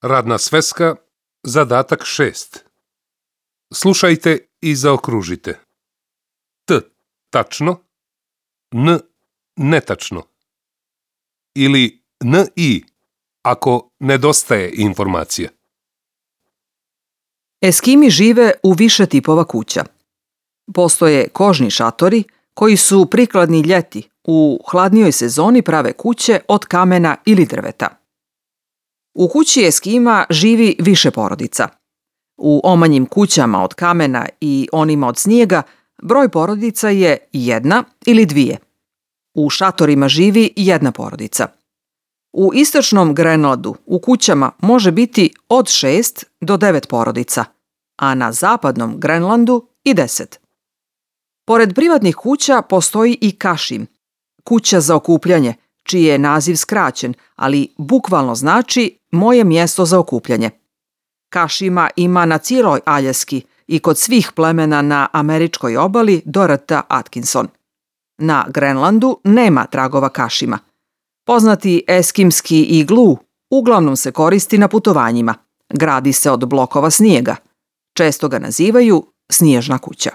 Radna sveska, zadatak 6. Slušajte i zaokružite. T tačno, N netačno. Ili NI ako nedostaje informacija. Eskimi žive u više tipova kuća. Postoje kožni šatori koji su prikladni ljeti, u hladnijoj sezoni prave kuće od kamena ili drveta. U kući Eskima živi više porodica. U omanjim kućama od kamena i onima od snijega broj porodica je 1 ili 2. U šatorima živi 1 porodica. U istočnom Grenlandu u kućama može biti od 6 do 9 porodica, a na zapadnom Grenlandu i 10. Pored privatnih kuća postoji i kašim, kuća za okupljanje, čiji je naziv skraćen, ali bukvalno znači moje mjesto za okupljanje. Kašima ima na cijeloj Aljaski i kod svih plemena na američkoj obali do rta Atkinson. Na Grenlandu nema tragova kašima. Poznati eskimski iglu uglavnom se koristi na putovanjima. Gradi se od blokova snijega. Često ga nazivaju snježna kuća.